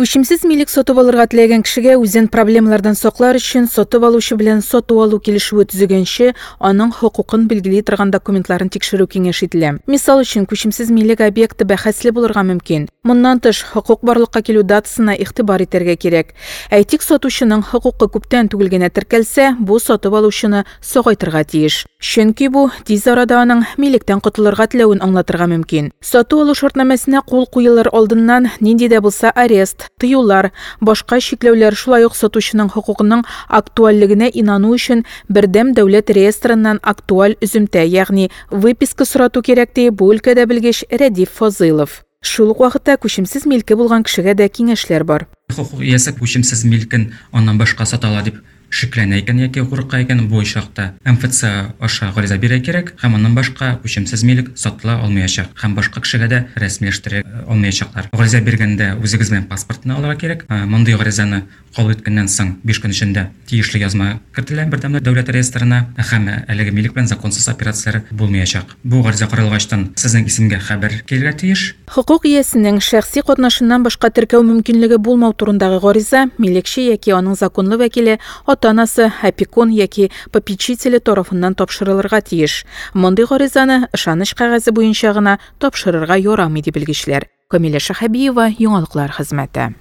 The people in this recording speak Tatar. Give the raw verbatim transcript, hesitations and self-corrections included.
Күчемсез милек сатып алырга теләгән кешегә үзен проблемалардан саклар өчен сатып алучы белән сату-алу килешүе төзегәнче, аның хокукын билгели торган документларын тикшерү киңәш ителә. Мисал өчен, күчемсез милек объекты бәхәсле булырга мөмкин. Моннан тыш, хокук барлыкка килү датасына игътибар итәргә кирәк. Әйтик, сатучының хокукы күптән түгел генә теркәлсә, бу сатып алучыны сагайтырга тиеш. Чөнки бу тиз арада аның милектән котылырга теләвен аңлатырга мөмкин. Сату-алу шартнамәсенә кул куелыр алдыннан нинди дә булса арест, тыюлар, башка чикләүләр, шулай ук сатучының хокукының актуальлегенә инану өчен бердәм дәүләт реестрыннан актуаль өземтә, ягъни выписка сорату кирәк, ди бу өлкәдә белгеч Рәдиф Фазылов. Шул ук вакытта күчемсез милке булган кешегә дә киңәшләр бар. Хокук иясе күчемсез милкен аннан башка сата ала дип шикләнә икән яки курка икән, бу очракта эм эф цэ аша гариза бирә кирәк һәм аннан башка күчемсез милек сатыла алмаячак һәм башка кешегә дә рәсмиләштерә алмаячаклар. Гариза биргәндә үзегез белән паспортны алырга кирәк. Мондый гаризаны кабул иткәннән соң биш көн эчендә тиешле язма кертелә бердәм дәүләт реестрына һәм әлеге милек белән законсыз операцияләр булмаячак. Бу гариза каралгачтан сезнең исемгә хәбәр килергә тиеш. Хокук иясенең шәхси катнашыннан башка теркәү мөмкинлеге булмау турындагы гариза милекче яки аның законлы вәкиле, ата-анасы, опекун яки попечителе тарафыннан тапшырылырга тиеш. Мондый гаризаны ышаныч кәгазе буенча гына тапшырырга ярамый, ди белгечләр. Камилә Шәһәбиева, Яңалыклар хезмәте.